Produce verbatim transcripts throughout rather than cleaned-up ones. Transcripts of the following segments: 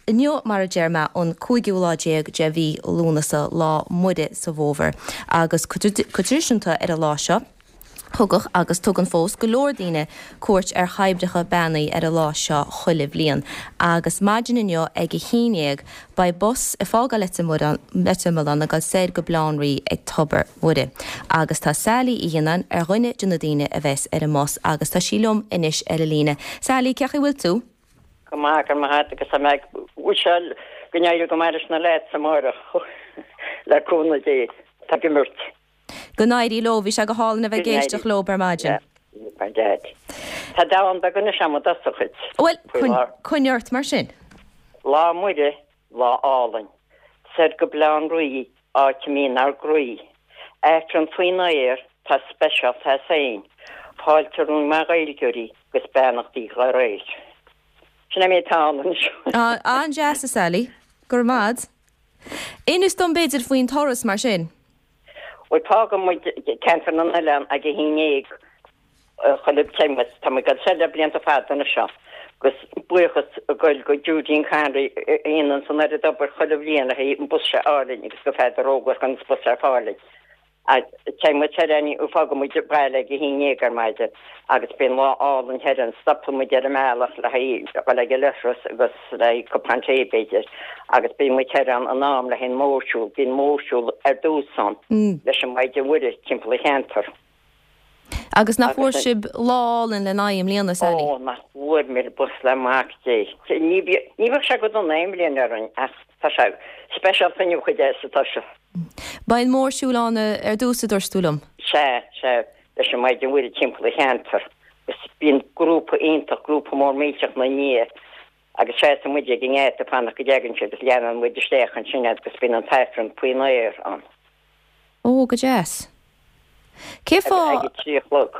inniu mar a deir mé an cúigiú lá déag de mhí Lúnasa lá Muire sa bhfómhar agus go traidisiúnta ar an lá seo. Thugadh agus tugann fós go leor daoine cuairt ar thoibreacha beannaithe ar an lá seo chuile bhliain. Agus maidin inniu ag a haon déag beidh bus ag fágáil Leitir Mealláin ag dul soir go Baile Átha an Rí ag Tobar Mhuire. Agus tá Sally Uí Ghionnáin ar dhuine de na daoine a bheas ar an mbus agus tá sí liom anois ar an líne. Sally cén chaoi a bhfuil tú? Go maith go maith agus tá mé ag go n-éirí go maith leis na lads amárach le cúnamh Dé tá ag imirt. Go n-éirí leo bhí sé go hálainn a bheith ag éisteacht leo ar maidin. Tá dán beag anois agam duit. Well coinnigh ort mar sin. Lá Muire lá álainn, Soir go Baile Átha an Rí áit a mbíonn ár gcroí. Aifreann faoin aer tá speisialta as féin, Fáilte romhainn mar Ghaeilgeoirí agus beannachtaí dá réir. Sin é tá An-deas a Sally, go raibh maith. Inis dom b'fhéidir faoin turas mar sin. Well fágann muid ceantar na n-oileán ag a haon déag chuile temas tá go se blianta fada na seo. gus buíochas goil go Judín Canry aon san ar d'obair chuile bhliain a an bus se álainn agus go feadar ógur gan bus ar fáil. Téimid fágann muid baile ag a haon déag ar maidin agus bíonn lá álainn thoir ann stopann muid ar an mbealach le le ag leithreas agus le cupán tae b'fhéidir agus bíonn muid thoir ann in am le haghaidh an mórshiúl bíonn mórshiúl ar dtús ann leis an Maighdean Mhuire timpeall an cheantar. Agus nach bhfuair sibh lá álainn le n-aghaidh i mbliana Sally? Ó nach bhfuair mé bus le mac Dé. Ní ní bheadh sé go dona aon bhliain orainn ach tá sé speisialta inniu chuid sa tá sé. Beidh an mórshiúl ann ar dtús a dúirt tú liom. Se se leis an Maighdean Mhuire timpeall an cheantar. Agus bíonn grúpa iontach grúpa mór millteach na ndiaidh agus seasann muid ag an ngeata fanacht go dtagann siad agus leanann muid isteach ansin agus bíonn an t-aifreann faoin aer ann. Ó go deas. Cé fáth ag a trí a chlog.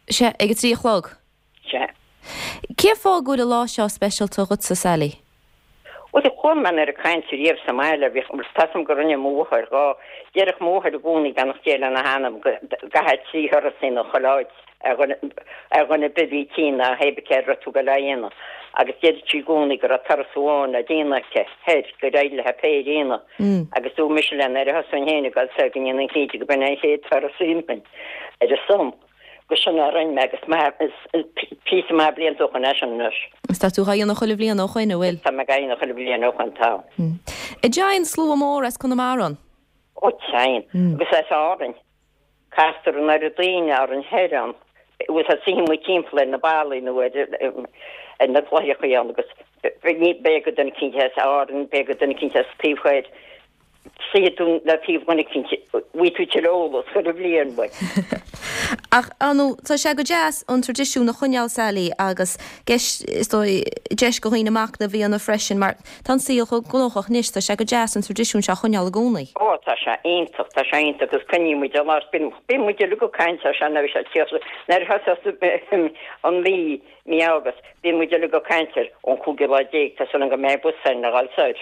Se ag a trí a chlog? Se. Cé fáth go bhfuil an lá seo speisialta dhutsa Sally? Well chuala mé ar a caint riamh sa mbaile bhí tasam go rinne máthair dhá deireadh máthair i gcónaí beannacht Dé lena hanam go gcaithfeá trí thuras a dhéanamh chuile áit ar ar dhuine ar bith a bhí tinn a thaobh céard tú go le dhéanamh agus deireadh sí i gcónaí go raibh turas amháin le déanamh aici thoir gur éirigh léi péire a dhéanamh agus dúirt mise léi nuair a thosóinn féin ag dul soir go ndéanfainn cinnte go b'in an chéad turas a dhéanfainn ar a son. Go sin a rinne mé agus píosa maith blianta ó shoin é sin anois. Is tá tú á dhéanamh chuile bhliain ó shoin an bhfuil? Tá mé á dhéanamh chuile bhliain ó shoin tá. An dtéann slua mór as Conamara ann? Ó téann agus as Árainn. Castar an oiread daoine orainn thoir ann. Agus tá suíonn muid timpeall ar na ballaí nó ar ar na cloicheachaí ann agus beidh go duine eicínt as Árainn, beidh go duine eicínt as taobh thoir. Suífidh tú le taobh dhuine eicínt, bhfaighidh tú tuilleadh eolas chuile bhliain uaidh. Ach ar ndóigh, tá sé go deas an traidisiún a choinneáil Sally agus deis, is dóigh, deis go dhaoine machnamh a dhéanamh freisin mar tá an saol chomh gnóthach anois, tá sé go deas an traidisiún seo a choinneáil i gcónaí. Ó tá sé iontach, tá sé iontach agus coinníonn muid an lá, bíonn bíonn muid uilig ag caint air seo nuair a bhí sé nuair a thosaíos an mhí, mí August, bíonn muid uilig ag caint air ón cúigiú lá déag, tá súil agam go mbeidh bus againn a dhul soir.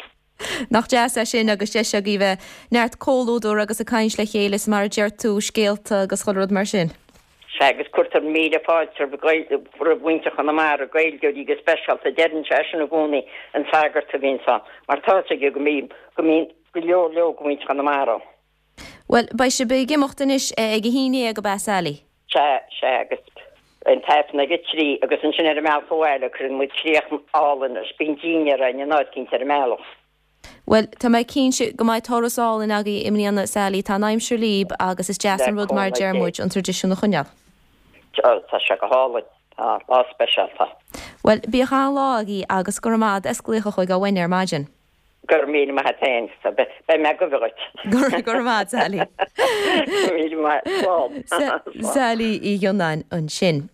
Nach deas é sin agus deis agaibh bheith neart comhluadar agus ag caint le chéile is mar a deir tú scéalta agus chuile rud mar sin. Sea agus cuirtear míle fáilte roimh mhuintir Chonamara, Gaeilgeoirí go speisialta, deireann sé sin i gcónaí an sagart a bhíonns ann, mar tá fhios aige go mbíonn go mbíonn go leor leor de mhuintir Chonamara ann. Bhuel, beidh sibh ag imeacht anois ag a haon déag ab ea Sally? Sea, sea, agus an t-aifreann ag a trí agus ansin ar an mbealach abhaile cuireann muid críoch álainn leis, bíonn dinnéar againn in áit eicínt ar an mbealach. Bhuel, tá mé cinnte go mbeidh turas álainn agaibh i mbliana Sally, tá an aimsir libh agus is deas Le an rud mar a cúnamh deir Dé. muid an traidisiún a choinneáil. Tá sé go hálainn, tá lá speisialta. Bhuel, bíodh an-lá agaibh agus go raibh maith agat as glaoch chuig Awenne ar maidin. Go raibh míle maith agat féin, beidh mé ag gabháil dhuit. Go raibh maith Sally. Míle maith, slán. Sally Uí Ghionnáin ansin.